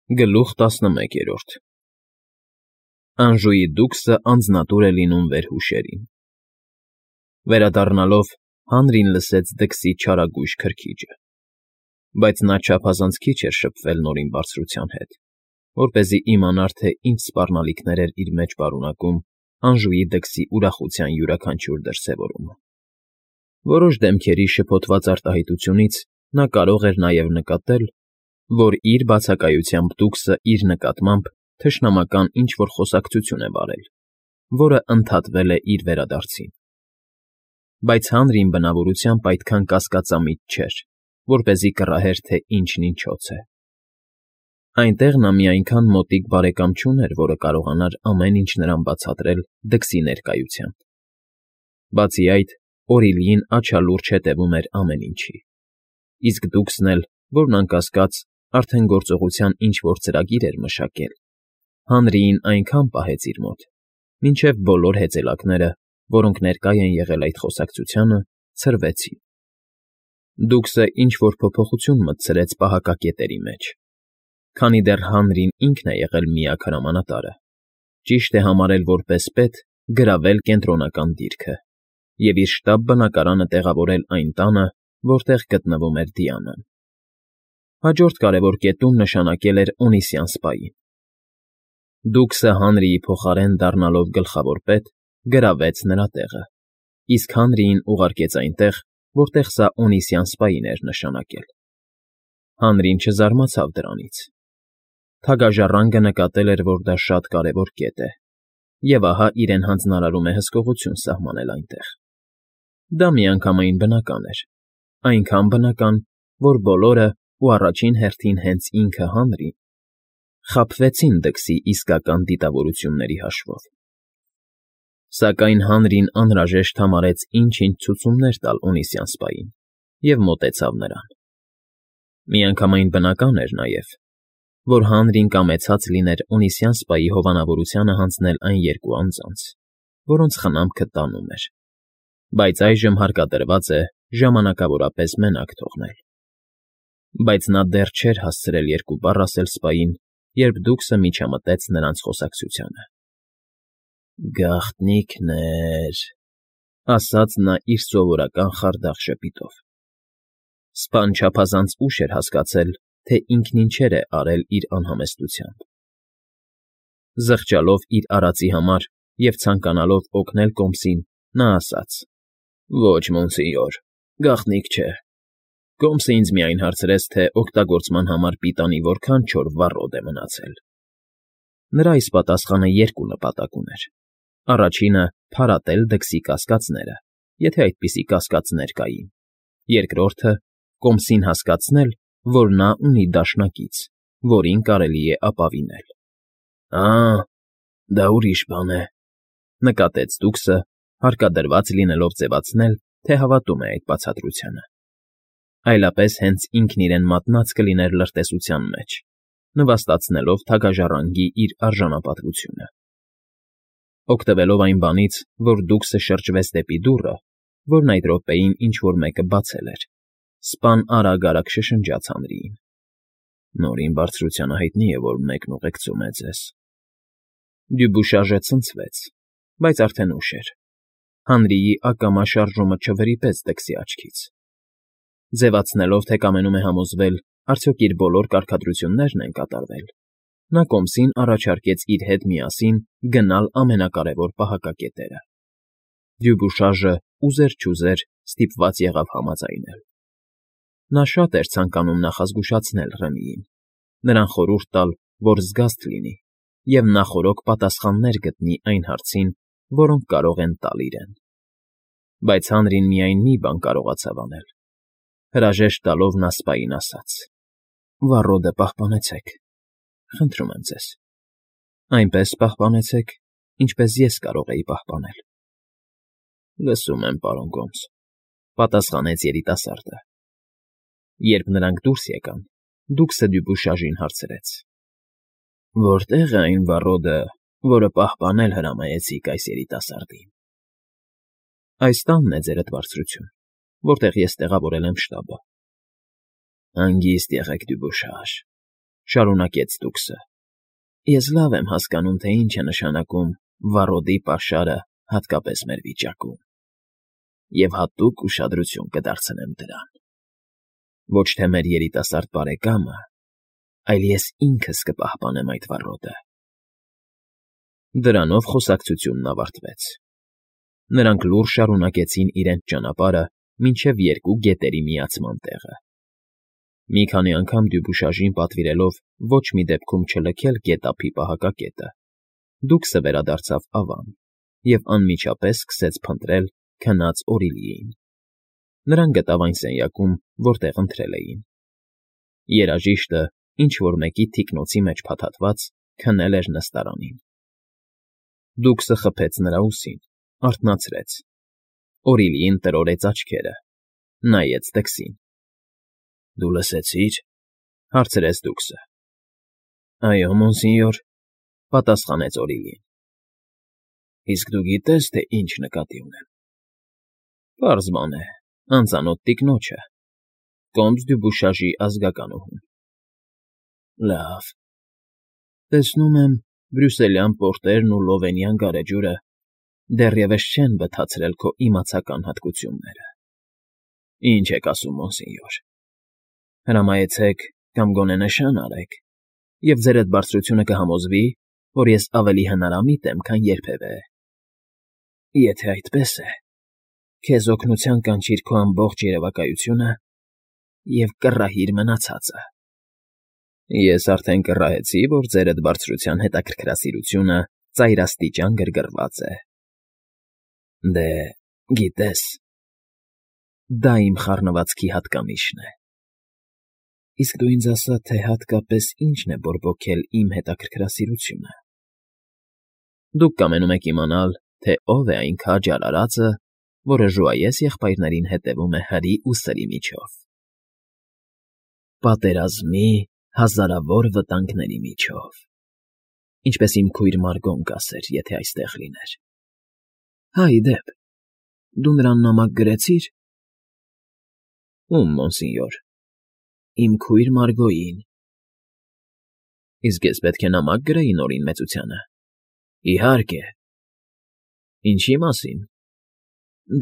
Գլուխ 11 Անժուի դուքսը անձնատուր է լինում վերհուշերին։ Վերադառնալով Հանրին լսեց դքսի չարագույժ քրքիջը, բայց նա չափազանց քիչ էր շփվել Նորին բարձրության հետ, որպեսզի իմանար, թե ինչ սպառնալիքներ էր իր մեջ պարունակում Անժուի դքսի ուրախության յուրաքանչյուր դրսևորումը։ Որոշ դեմքերի շփոթված արտահայտությունից նա կարող էր նաև նկատել, որ իր բացակայությամբ դուքսը իր նկատմամբ թշնամական ինչ֊որ խոսակցություն է վարել, որը ընդհատվել է իր վերադարձին։ Բայց Հանրին բնավորությամբ այդքան կասկածամիտ չէր, որպեսզի կռահեր, թե ինչն ինչոց է։ Այնտեղ նա մի այնքան մոտիկ բարեկամ չուներ, որը կարողանար ամեն ինչ նրան բացատրել դքսի ներկայությամբ։ Բացի այդ, Օրիլիին աչալուրջ հետևում էր ամեն ինչի, իսկ դուքսն էլ, որն անկասկած, արդեն գործողության ինչ֊որ ծրագիր էր մշակել, Հանրիին այնքան պահեց իր մոտ, մինչև բոլոր հեծելակները, որոնք ներկա են եղել այդ խոսակցությանը, ցրվեցին։ Դուքսը ինչ֊որ փոփոխություն մտցրեց պահակակետերի մեջ, քանի դեռ Հանրին ինքն է եղել միակ հրամանատարը, ճիշտ է համարել որպես պետ գրավել կենտրոնական դիրքը և իր շտաբ բնակարանը տեղավորել այն տանը, որտեղ գտնվում էր Դիանան։ Հաջորդ կարևոր կետում նշանակել էր Օնիսյան սպային։ Դուքսը Հանրիի փոխարեն դառնալով գլխավոր պետ, գրավեց նրա տեղը, իսկ Հանրիին ուղարկեց այնտեղ, որտեղ սա Օնիսյան սպային էր նշանակել։ Հանրին չզարմացավ դրանից։ Թագաժառանգը նկատել էր, որ դա շատ կարևոր կետ է, և ահա իրեն հանձնարարում է հսկողություն սահմանել այնտեղ։ Դա միանգամայն բնական էր, այնքան բնական, որ բոլորը, ու առաջին հերթին հենց ինքը Հանրին, խաբվեցին դքսի իսկական դիտավորությունների հաշվով։ Սակայն Հանրին անհրաժեշտ համարեց ինչ֊ինչ ցուցումներ տալ Օնիսյան սպային և մոտեցավ նրան։ Միանգամայն բնական էր նաև, որ Հանրին կամեցած լիներ Օնիսյան սպայի հովանավորությանը հանձնել այն երկու անձանց, որոնց խնամքը տանում էր, բայց այժմ հարկադրված է ժամանակավորապես մենակ թողնել։ Բայց նա դեռ չէր հասցրել երկու բառ ասել սպային, երբ դուքսը միջամտեց նրանց խոսակցությանը։ «Գաղտնիքներ», ասաց նա իր սովորական խարդախ ժպիտով։ Սպան չափազանց ուշ էր հասկացել, թե ինքն ինչեր է արել իր անհամեստությամբ։ Զղջալով իր արածի համար և ցանկանալով օգնել կոմսին, նա ասաց. «Ոչ, մոնսինյոր, գաղտնիք չէ։ Կոմսը ինձ միայն հարցրեց, թե օգտագործման համար պիտանի որքան չոր վառոդ է մնացել»։ Նրա այս պատասխանը երկու նպատակ ուներ. առաջինը փարատել դքսի կասկածները, եթե այդպիսի կասկածներ կային, երկրորդը կոմսին հասկացնել, որ նա ունի դաշնակից, որին կարելի է ապավինել։ Դա ուրիշ բան է,֊ նկատեց դուքսը, հարկադրված լինելով ձևացնել, թե հավատում է այդ բացատրությանը։ Այլապես հենց ինքն իրեն մատնած կլիներ լրտեսության մեջ, նվաստացնելով թագաժառանգի իր արժանապատվությունը։ Օգտվելով այն բանից, որ դուքսը շրջվեց դեպի դուռը, որն այդ րոպեին ինչ֊որ մեկը բացել էր, սպան արագ֊արագ շշնջաց Հանրիին. «Նորին բարձրությանը հայտնի է, որ մեկն ուղեկցում է ձեզ»։ Դյուբուշաժը ցնցվեց, բայց արդեն ուշ էր։ Հանրիի ակամա շարժումը չվրիպեց դքսի աչքից։ Ձևացնելով, թե կամենում է համոզվել, արդյոք իր բոլոր կարգադրություններն են կատարվել, նա կոմսին առաջարկեց իր հետ միասին գնալ ամենակարևոր պահակակետերը։ Դյուբուշաժը ուզեր֊չուզեր ստիպված եղավ համաձայնել։ Նա շատ էր ցանկանում նախազգուշացնել Ռեմիին, նրան խորհուրդ տալ, որ զգաստ լինի և նախօրոք պատասխաններ գտնի այն հարցին, որոնք կարող են տալ իրեն։ Բայց Հանրին միայն մի բան կարողացավ անել։ Հրաժեշտ տալով նա սպային ասաց. «Վառոդը պահպանեցեք, խնդրում եմ ձեզ, այնպես պահպանեցեք, ինչպես ես կարող էի պահպանել»։ «Լսում եմ, պարոն Կոմս», պատասխանեց երիտասարդը։ Երբ նրանք դուրս եկան, դուքսը Դյուբուշաժին հարցրեց. «Որտե՞ղ է այն վառոդը, որը պահպանել հրամայեցիք այս երիտասարդին»։ «Այս տանն է, ձերդ բարձրություն, որտեղ ես տեղավորել եմ շտաբը»։ «Հանգիստ եղեք, Դյուբուշաժ, Շարունակեց Տուքսը։ Ես լավ եմ հասկանում, թե ինչ է նշանակում վառոդի պաշարը հատկապես մեր վիճակում, և հատուկ ուշադրություն կդարձնեմ դրան։ Ոչ թե մեր երիտասարդ բարեկամը, այլ ես ինքս կպահպանեմ այդ վառոդը։ Դրանով խոսակցությունն ավարտվեց։ Նրանք լուռ շարունակեցին իրենց ճանապարհը մինչև երկու գետերի միացման տեղը։ Մի քանի անգամ Դյուբուշաժին պատվիրելով ոչ մի դեպքում չլքել գետափի պահակակետը, Դուքսը վերադարձավ ավան և անմիջապես սկսեց փնտրել քնած Օրիլիին։ Նրան գտավ այն սենյակում, որտեղ ընթրել էին։ Երաժիշտը, ինչ֊որ մեկի թիկնոցի մեջ փաթաթված, քնել էր նստարանին։ Դուքսը խփեց նրա ուսին, արթնացրեց։ Օրիլիին տրորեց աչքերը, նայեց դքսին։ ֊ Դու լսեցի՞ր,֊ հարցրեց Դուքսը։ ֊ Այո, մոնսինյոր,֊ պատասխանեց Օրիլին։ ֊ Իսկ դու գիտե՞ս, թե ինչ նկատի ունեմ։ ֊ Պարզ բան է, անծանոթ տիկնոջը, կոմս Դյուբուշաժի ազգականուհուն։ ֊ Լավ, տեսնում եմ, բրյուսելյան պորտերն ու լովենյան գարեջուրը դեռևս չեն բթացրել քո իմացական հատկությունները։ ֊ Ինչ եք ասում, մոնսինյոր։ Հրամայեցեք կամ գոնե նշան արեք, և ձերդ բարձրությունը կհամոզվի, որ ես ավելի հնարամիտ եմ, քան երբևէ։ Եթե այդպես է, քեզ օգնության կանչիր քո ամբողջ երևակայությունը և կռահիր մնացածը։ Ես արդեն կռահեցի, որ ձերդ բարձրության հետաքրքրասիրությունը ծայրաստիճան գրգռված է։ Դե, գիտես, դա իմ խառնվածքի հատկանիշն է։ Իսկ դու ինձ ասա, թե հատկապես ինչն է բորբոքել իմ հետաքրքրասիրությունը։ Դուք կամենում եք իմանալ, թե ով է այն քաջ արարածը, որը ժուայես եղբայրներին հետևում է հրի ու սրի միջով։ Պատերազմի հազարավոր վտանգների միջով, ինչպես իմ քույր Մարգոն կասեր, եթե այստեղ լիներ։ Հա, ի դեպ, դու նրան նամակ գրեցի՞ր։ Ում, մոնսինյոր։ Իմ քույր Մարգոյին։ Իսկ ես պետք է նամակ գրեի Նորին մեծությանը։ Իհարկե։ Ինչի՞ մասին։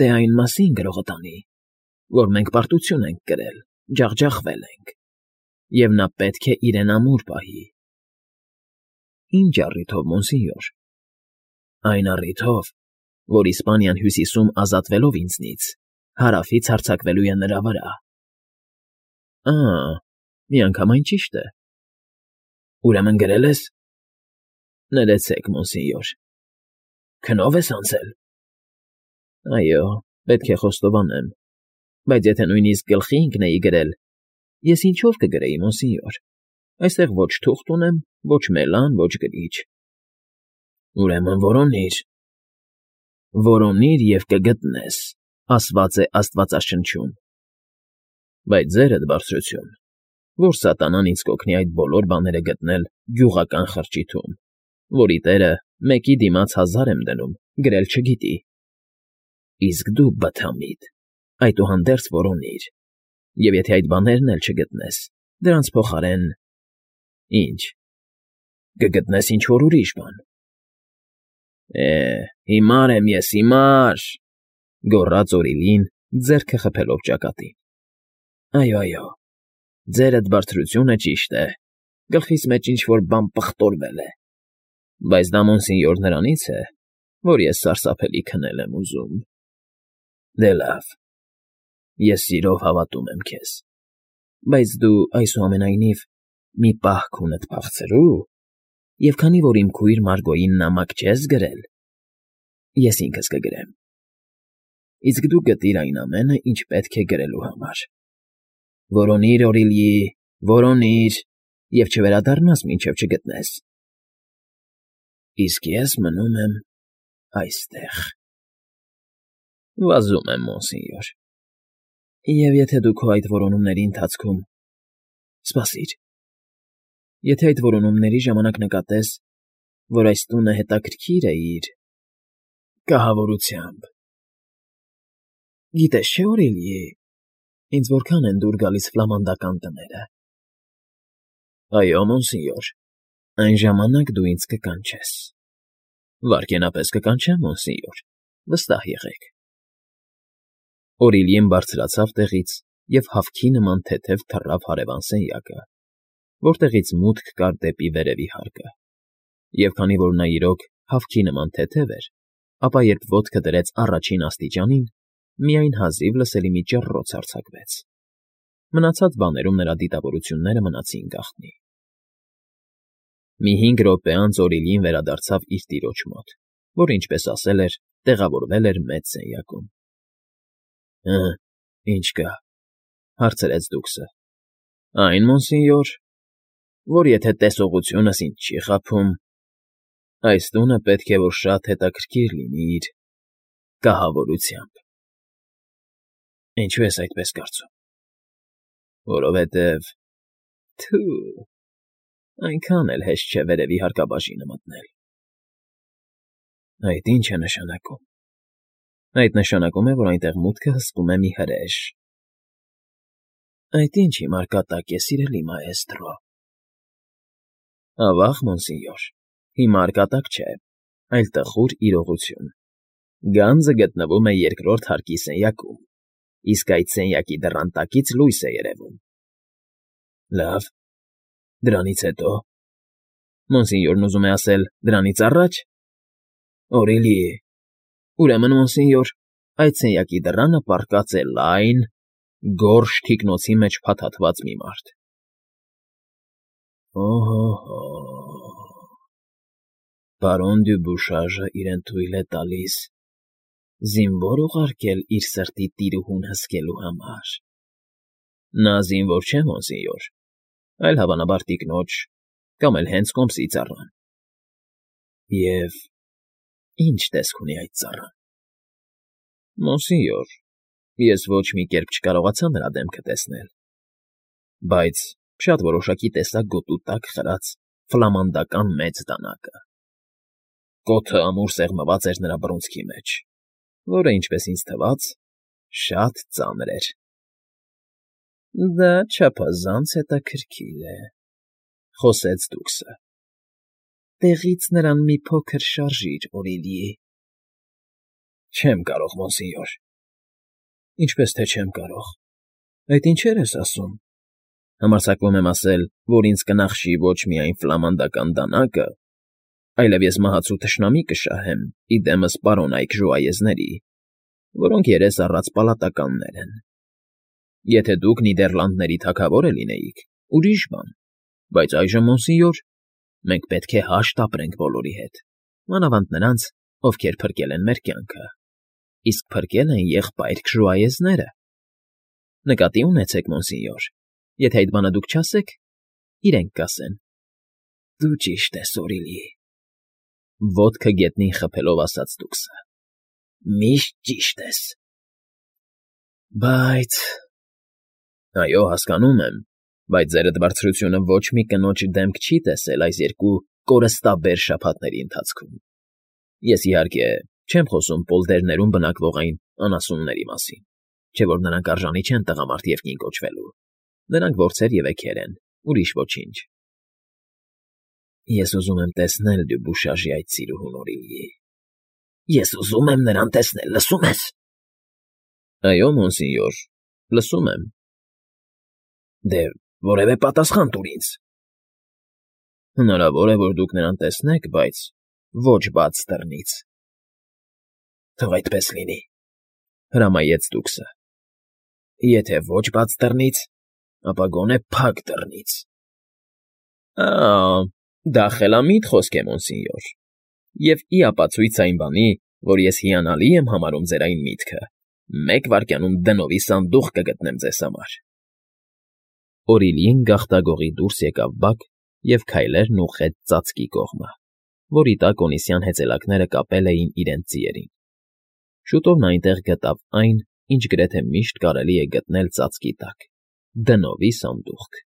Դե այն մասին, գրողը տանի, որ մենք պարտություն ենք կրել, ջախջախվել ենք, և նա պետք է իրեն ամուր պահի։ Ինչ առիթով, մոնսինյոր։ Այն առիթով, որ Իսպանիան հյուսիսում ազատվելով ինձնից, հարավից հարձակվելու է նրա վրա։ Միանգամայն ճիշտ է։ Ուրեմն գրել ես։ Ներեցեք, մոնսինյոր։ Քնո՞վ ես անցել։ Այո, պետք է խոստովանեմ, բայց եթե նույնիսկ գլխի ընկնեի գրել, ես ինչով կգրեի, մոնսինյոր։ Այստեղ ոչ թուղթ ունեմ, ոչ մելան, ոչ գրիչ։ Ուրեմն որոնիր։ Որոնիր և կգտնես, ասված է Աստվածաշնչում։ Բայց ձերդ բարձրություն, որ սատանան ինձ կօգնի այդ բոլոր բաները գտնել գյուղական խրճիթում, որի տերը մեկի դիմաց 1000 եմ դնում, գրել չգիտի։ Իսկ դու, բթամիտ, այդուհանդերձ որոնիր, և եթե այդ բաներն էլ չգտնես, դրանց փոխարեն… Ինչ, կգտնես ինչ֊որ ուրիշ բան։ Հիմար եմ ես, հիմար,֊ գոռաց Օրիլին, ձեռքը խփելով ճակատին։ Այո, ձերդ բարձրությունը ճիշտ է, գլխիս մեջ ինչ֊որ բան պղտորվել է, բայց դա, մոնսինյոր, նրանից է, որ ես սարսափելի քնել եմ ուզում։ Դե լավ, ես սիրով հավատում եմ քեզ, բայց դու, այսուամենայնիվ, մի պահ քունդ փախցրու, և քանի որ իմ քույր Մարգոյին նամակ չես գրել, ես ինքս կգրեմ։ Իսկ դու գտիր այն ամենը, ինչ պետք է գրելու համար։ Որոնիր, Օրիլի, որոնիր, և չվերադառնաս, մինչև չգտնես։ Իսկ ես մնում եմ այստեղ։ Վազում եմ, մոնսինյոր։ Եվ եթե դու քո այդ որոնումների ընթացքում… Սպասիր… Եթե այդ որոնումների ժամանակ նկատես, որ այս տունը հետաքրքիր է իր… կահավորությամբ… Գիտես չէ, Օրիլի, ինձ որքան են դուր գալիս ֆլամանդական տները։ Այո, մոնսինյոր, այն ժամանակ դու ինձ կկանչես։ Վայրկենապես կկանչեմ, մոնսինյոր, վստահ եղեք։ Օրիլիեն բարձրացավ տեղից և հավքի նման թեթև թռավ հարևան սենյակը, որտեղից մուտք կար դեպի վերևի հարկը, և քանի որ նա իրոք հավքի նման թեթև էր, ապա երբ ոտքը դրեց առաջին աստիճանին, միայն հազիվ լսելի մի ճռռոց արձակվեց։ Մնացած բաներում նրա դիտավորությունները մնացին գաղտնի։ Մի 5 րոպե անց Օրիլիին վերադարձավ իր տիրոջ մոտ, որ, ինչպես ասել էր, տեղավորվել էր մեծ սենյակում։ Ինչ կա,֊ հարցրեց դուքսը։ Այն, մոնսինյոր, որ եթե տեսողությունս ինձ չի խաբում, այս տունը պետք է որ շատ հետաքրքիր լինի իր կահավորությամբ։ Ինչու ես այդպես կարծում։ Որովհետև… Թո՛ւ… Այնքան էլ հեշտ չէ վերևի հարկաբաժինը մտնել։ Այդ ի՞նչ է նշանակում։ Այդ նշանակում է, որ այնտեղ մուտքը հսկում է մի հրեշ։ Այդ ի՞նչ հիմար կատակ է, սիրելի մաեստրո։ Ավա՜ղ, մոնսինյոր, հիմար կատակ չէ, այլ տխուր իրողություն։ Գանձը գտնվում է երկրորդ հարկի սենյակում, իսկ այդ սենյակի դռան տակից լույս է երևում։ Լավ, դրանից հետո… Մոնսինյորն ուզում է ասել դրանից առաջ… Օրիլի… Ուրեմն, մոնսինյոր, այդ սենյակի դռանը պառկած է լայն, գորշ թիկնոցի մեջ փաթաթված մի մարդ։ Օհո՜հո՜… Պարոն Դյուբուշաժը իրեն թույլ է տալիս զինվոր ուղարկել իր սրտի տիրուհուն հսկելու համար։ Նա զինվոր չէ, մոնսինյոր, այլ հավանաբար տիկնոջ կամ էլ հենց կոմսի ծառան։ Եվ ի՞նչ տեսք ունի այդ ծառան։ Մոնսինյոր, ես ոչ մի կերպ չկարողացա նրա դեմքը տեսնել, բայց շատ որոշակի տեսա գոտու տակ խրած ֆլամանդական մեծ դանակը։ Կոթը ամուր սեղմված էր նրա բռունցքի մեջ, որը, ինչպես ինձ թվաց, շատ ծանր էր։ Դա չափազանց հետաքրքիր է,֊ խոսեց դուքսը։ Տեղից նրան մի փոքր շարժիր, Օրիլի։ Չեմ կարող, մոնսինյոր։ Ինչպես թե չեմ կարող։ Այդ ինչեր ես ասում։ Համարձակվում եմ ասել, որ ինձ կնախշի ոչ միայն ֆլամանդական դանակը, այլև ես մահացու թշնամի կշահեմ ի դեմս պարոնայք ժուայեզների, որոնք երես առած պալատականներ են։ Եթե դուք Նիդերլանդների թագավորը լինեիք, ուրիշ բան, բայց այժմ, մոնսինյոր, մենք պետք է հաշտ ապրենք բոլորի հետ, մանավանդ նրանց, ովքեր փրկել են մեր կյանքը, իսկ փրկել են եղբայրք ժուայեզները։ Նկատի ունեցեք, մոնսինյոր, եթե այդ բանը դուք չասեք, իրենք կասեն։ Դու ճիշտ ես, Օրիլի։ Ոտքը գետնին խփելով ասաց դուքսը։ Միշտ ճիշտ ես։ Բայց… Այո, հասկանում եմ, բայց ձերդ բարձրությունը ոչ մի կնոջ դեմք չի տեսել այս 2 կորստաբեր շաբաթների ընթացքում։ Ես, իհարկե, չեմ խոսում պոլդերներում բնակվող այն անասունների մասին, չէ՞ որ նրանք արժանի չեն տղամարդ և կին կոչվելու։ Նրանք որձեր և էգեր են, ուրիշ ոչինչ։ Ես ուզում եմ տեսնել Դյուբուշաժի այդ սիրուհուն, Օրիլի։ Ես ուզում եմ նրան տեսնել, լսում ես։ Այո, մոնսինյոր, լսում եմ։ Դե որևէ պատասխան տուր ինձ։ Հնարավոր է, որ դուք նրան տեսնեք, բայց ոչ բաց դռնից։ Թող այդպես լինի, հրամայեց դուքսը։ Եթե ոչ բաց դռնից, ապա գոնե փակ դռնից։ Դա խելամիտ խոսք է, մոնսինյոր, և ի ապացույց այն բանի, որ ես հիանալի եմ համարում ձեր այն միտքը, 1 վայրկյանում դնովի սանդուղք կգտնեմ ձեզ համար։ Օրիլիին գաղտագողի դուրս եկավ բակ և քայլերն ուղղեց ծածկի կողմը, որի տակ Օնիսյան հեծելակները կապել էին իրենց ձիերին։ Շուտով նա այնտեղ գտավ այն, ինչ գրեթե միշտ կարելի է գտնել ծածկի տակ՝ դնովի սանդուղք։